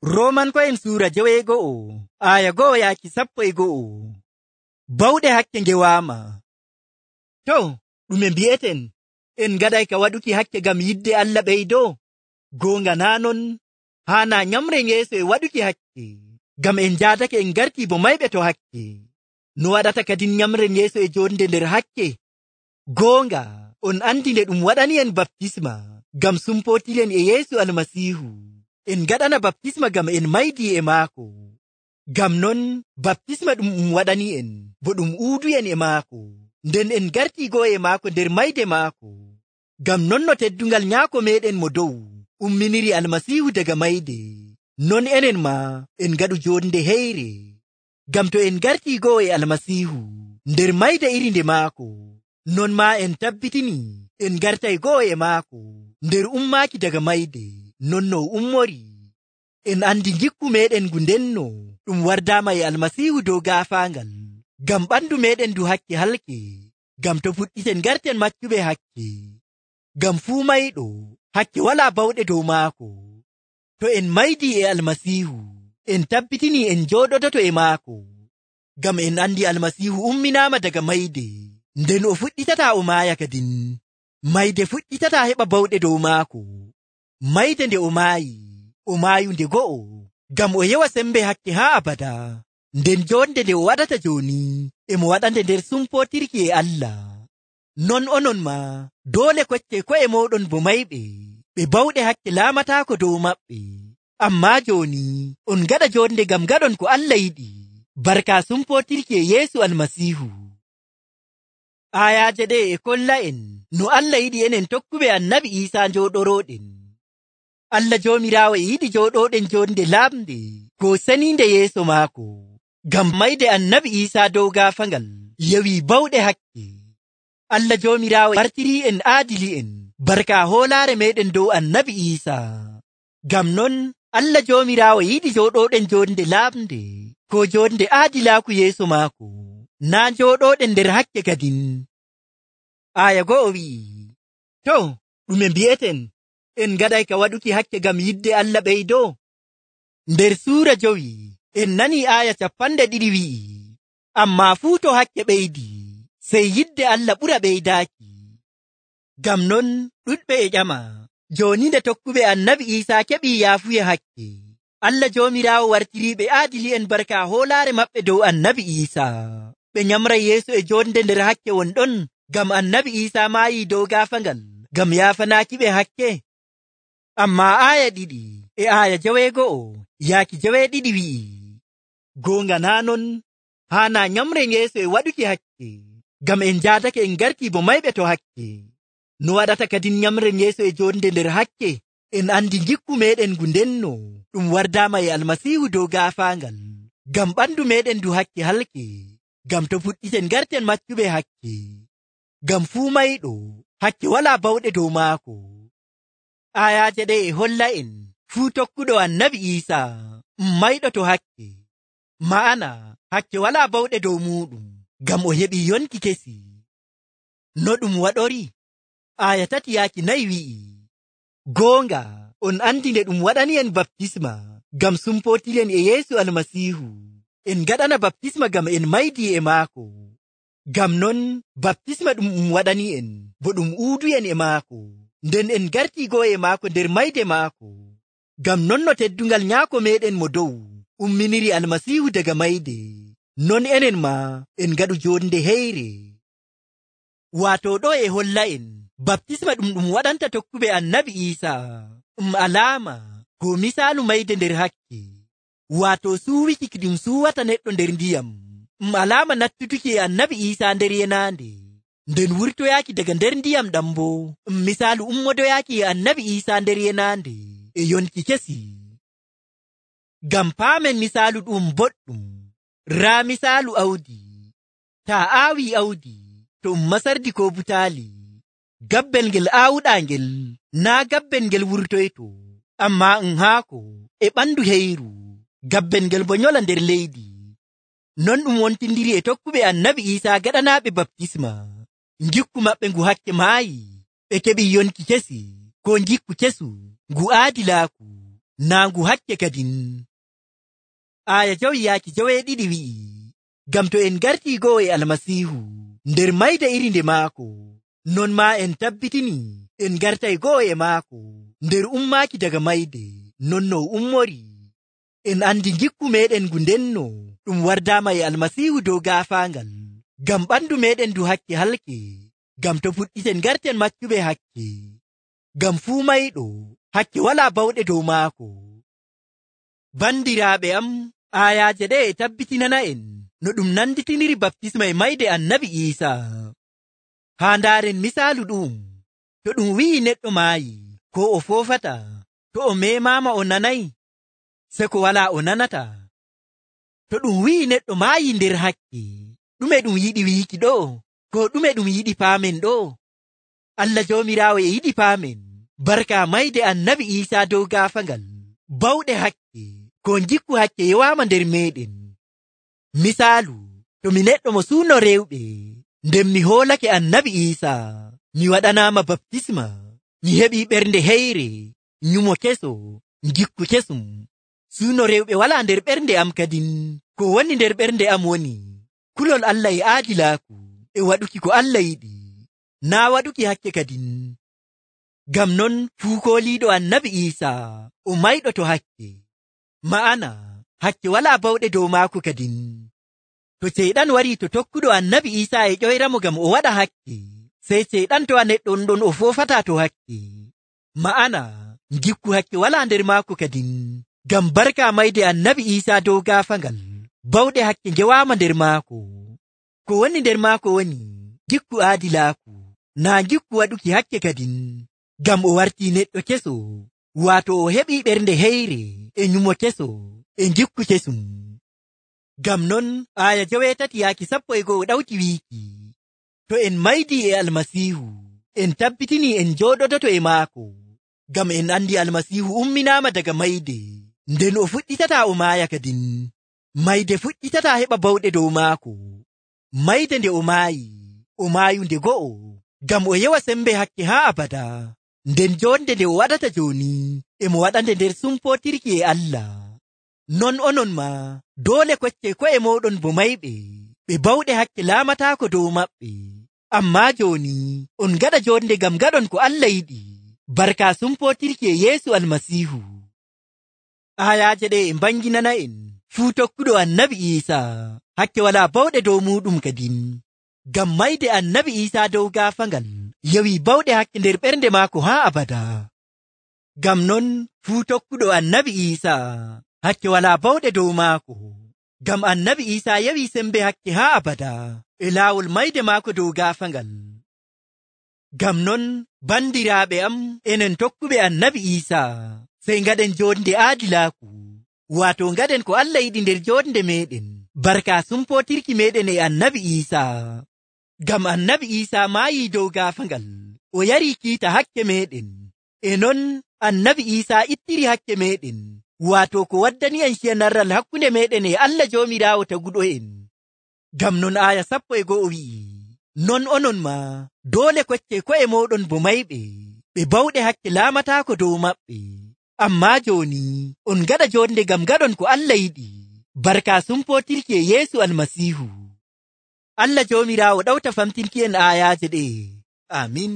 Roomanko'en suura 9 aya 1 yaaki 11. Bawɗe hakke ngewaama. To, ɗume mbi'eten? En ngaɗay ka waɗuki hakke ngam yidde Allah ɓeydoo? Goonga naa non, haana nyamren yeeso e waɗuki hakke, ngam en jaadake en gartii bo mayɓe to hakke. No waɗata kadin nyamren yeeso e jonde nder hakke? Goonga, on andi nde ɗum waɗani en baptisma ngam sumpootiren e Yeesu Almasiihu. En ngaɗana baptisma ngam en maydii e maako. Ngam non, baptisma ɗum waɗani en, bo ɗum uudu'en e maako. Nden en gartii go'o e maako nder mayde maako. Ngam non no teddungal Nyaako meeɗen mo dow umminiri Almasiihu daga mayde, non enen maa en ngaɗu jonde heyre. Ngam to en gartii go'o e Almasiihu nder mayde iri nde maako, non maa en tabbitini en gartay go'o e maako nder ummaaki daga mayde, non no ummori. En andi gikku meeɗen ngu ndenno ɗum wardaama e Almasiihu dow gaafaangal, ngam ɓandu meeɗen ndu hakke halke. Ngam to fuɗɗiten garten maccuɓe hakke. Ngam fuu mayɗo hakke walaa bawɗe dow maako. To en maydii e Almasiihu, en tabbitini en jooɗodoto e maako. Ngam en andi Almasiihu umminaama daga mayde, nden o fuɗɗitataa o maaya kadin. Mayde fuɗɗitataa heɓa bawɗe dow maako. Mayde nde o maayi, o maayu nde go'o, ngam o yewa sembe hakke haa abada. Nden jonde nde o waɗata jooni, emo waɗande nder sumpootirki e Allah. Non onon maa, doole kocce ko'e mooɗon bo mayɓe, ɓe bawɗe hakke laamataako dow maɓɓe. Ammaa jooni, on ngaɗa jonde ngam ngaɗon ko Allah yiɗi, barka sumpootirki e Yeesu Almasiihu. Ayaaje ɗe e kolla en no Allah yiɗi enen tokkuɓe Annabi Iisaa njooɗorooɗen. Allah Joomiraawo e yiɗi jooɗooɗen jonde lamde ko seniinde yeeso maako. Ngam mayde Annabi Iisaa dow gaafangal yewi bawɗe hakke. Allah Joomiraawo wartirii en aadili'en barka hoolaare meeɗen dow Annabi Iisaa. Ngam non Allah Joomiraawo yiɗi jooɗooɗen jonde lamde ko jonde aadilaaku yeeso maako, naa jooɗooɗen nder hakke kadin. Aya 1 wi'i, to, ɗume mbi'eten? En ngaɗay ka waɗuki hakke ngam yidde Allah ɓeydoo? Nder suura 5 en nani aya 20 wi'i, ammaa fuu to hakke ɓeydi, sey yidde Allah ɓura ɓeydaaki. Ngam non ɗuɗɓe e ƴama, jooni nde tokkuɓe Annabi Iisaa keɓii yaafuya hakke, Allah Joomiraawo wartiriiɓe aadili'en barka hoolaare maɓɓe dow Annabi Iisaa. Ɓe nyamray yeeso e jonde nder hakke wonɗon, ngam Annabi Iisaa maayii dow gaafangal ngam yaafanaaki ɓe hakke. Ammaa aya 2 e aya 9 yaaki 9 wi'i, goonga naa non, haana nyamren yeeso e waɗuki hakke, ngam en jaadake en gartii bo mayɓe to hakke. No waɗata kadin nyamren yeeso e jonde nder hakke? En andi gikku meeɗen ngu ndenno ɗum wardaama e Almasiihu dow gaafaangal, ngam ɓandu meeɗen ndu hakke halke. Ngam to fuɗɗiten garten maccuɓe hakke. Ngam fuu mayɗo hakke walaa bawɗe dow maako. Ayaaje ɗe e holla en fuu tokkuɗo Annabi Iisaa mayɗo to hakke. Ma'ana hakke walaa bawɗe dow muuɗum, ngam o heɓii yonki kesi. No ɗum waɗori? Aya 3 yaaki 4 wi'i, goonga, on andi nde ɗum waɗani en baptisma ngam sumpootiren e Yeesu Almasiihu. En ngaɗana baptisma ngam en maydii e maako. Ngam non baptisma ɗum waɗani en, bo ɗum uudu'en e maako. Nden en gartii go'o e maako nder mayde maako. Ngam non no teddungal Nyaako meeɗen mo dow umminiri Almasiihu daga mayde, non enen maa en ngaɗu jonde heyre. Waato ɗo e holla en baptisma ɗum waɗanta tokkuɓe Annabi Iisaa alaama ko misaalu mayde nder hakke. Waato suuwiki ki ɗum suuwata neɗɗo nder ndiyam alaama nattutuki e Annabi Iisaa nder yenaande. Nden wurtoyaaki daga nder ndiyam ɗam bo misaalu ummodoyaaki e Annabi Iisaa nder yenaande e yonki kesi. Ngam paamen misaalu ɗum boɗɗum, raa misaalu awdi. Taa aawi awdi to masardi ko butaali, gabbel ngel aawuɗaa ngel naa gabbel ngel wurtoyto, ammaa haako e ɓandu heyru, gabbel ngel bo nyola nder leydi. Non ɗum wontindiri e tokkuɓe Annabi Iisaa gaɗanaaɓe baptisma. Gikku maɓɓe ngu hakke maayi, ɓe keɓi yonki kesi, ko gikku kesu ngu aadilaaku. naangu hakke kadin. Aya jawi yaaki joweeɗiɗi wi'i, ngam to en gartii go'o e Almasiihu nder mayde iri nde maako, non maa en tabbitini en gartay go'o e maako nder ummaaki daga mayde, non no ummori. En andi gikku meɗen ngu ndenno ɗum wardaama e Almasiihu dow gaafaangal, ngam ɓandu meɗen ndu hakke halke, ngam to fuɗɗiten garten maccuɓe hakke. Ngam fuu mayɗo hakke walaa bawɗe dow maako. Bandiraaɓe am, aayaaje ɗe e tabbitinana en no ɗum nanditiniri baptisma e mayde Annabi Iisaa. Haa ndaaren misaalu ɗum, to ɗum wi'i neɗɗo maayi ko o foofata, to o meemaama o nanay, se ko walaa o nanata. To ɗum wi'i neɗɗo maayi nder hakke, ɗume ɗum yiɗi wiiki ɗo, ko ɗume ɗum yiɗi paamen ɗo? Allah Joomiraawo e yiɗi paamen barka mayde Annabi Iisaa dow gaafangal, bawɗe hakke, ko jikku hakke yewaama nder meɗen. Misaalu, to mi neɗɗo mo suuno rewɓe, nden mi hoolake Annabi Iisaa, mi waɗanaama baptisma, mi heɓii ɓernde heyre, nyumo keso, jikku kesum. Suuno rewɓe walaa nder ɓernde am kadin, ko woni nder ɓernde am woni kulol Allah e aadilaaku, e waɗuki ko Allah yiɗi, naa waɗuki hakke kadin. Ngam non fuu kooliiɗo Annabi Iisaa o mayɗo to hakke, ma'ana hakke walaa bawɗe dow maako kadin. To ceyɗan warii to tokkuɗo Annabi Iisaa e ƴoyramo ngam o waɗa hakke, sey ceyɗan to a neɗɗo ɗon o foofataa to hakke, ma'ana gikku hakke walaa nder maako kadin. Ngam barka mayde Annabi Iisaa dow gaafangal, bawɗe hakke ngewaama nder maako. Ko woni nder maako woni gikku aadilaaku, naa gikku waɗuki hakke kadin. Ngam o wartii neɗɗo keso, waato o heɓii ɓernde heyre e nyumo keso e gikku kesum. Ngam non aya 8 yaaki 11 ɗawti wiiki, to en maydii e Almasiihu, en tabbitini en jooɗodoto e maako, ngam en andi Almasiihu umminaama daga mayde, nden o fuɗɗitataa o maaya kadin. Mayde fuɗɗitataa heɓa bawɗe dow maako. Mayde nde o maayu nde go'o, ngam o yewa sembe hakke haa abada. Nden jonde nde o waɗata jooni, e mo waɗande nder sumpootirki e Allah. Non onon ma, doole kocce ko'e mooɗon bo mayɓe, ɓe bawɗe hakke laamataako dow maɓɓe. Ammaa jooni, on gaɗa jonde ngam gaɗon ko Allah yiɗi, barka sumpootirki e Yeesu Almasiihu. Ayaaje ɗe e mbanginana en fuu tokkuɗo Annabi Iisaa hakke walaa bawɗe dow muɗum kadin. Ngam mayde Annabi Iisaa dow gaafangal yewi bawɗe hakke nder ɓernde maako haa abada. Ngam non fuu tokkuɗo Annabi Iisaa hakke walaa bawɗe dow maako, ngam Annabi Iisaa yewi sembe hakke haa abada e laawol mayde maako dow gaafangal. Ngam non bandiraaɓe am, enen tokkuɓe Annabi Iisaa, sey ngaɗen jonde aadilaaku, waato ngaɗen ko Allah yiɗi nder jonde meɗen, barka sumpootirki meɗen e Annabi Iisaa. Ngam Annabi Iisaa maayii dow gaafangal, o yarii kiita hakke meɗen, e non Annabi Iisaa ittiri hakke meɗen, waato ko waddani en ciyanarral hakkunde meɗen e Allah Joomiraawo taguɗo en. Ngam non aya 11 wi'i, non onon ma, doole kocce ko'e mooɗon bo mayɓe, ɓe bawɗe hakke laamataako dow maɓɓe. Ammaa jooni, on gaɗa jonde ngam gaɗon ko Allah yiɗi, barka sumpootirki e Yeesu Almasiihu. Allah Joomiraawo ɗawta famtinki en ayaaje ɗe. Amin.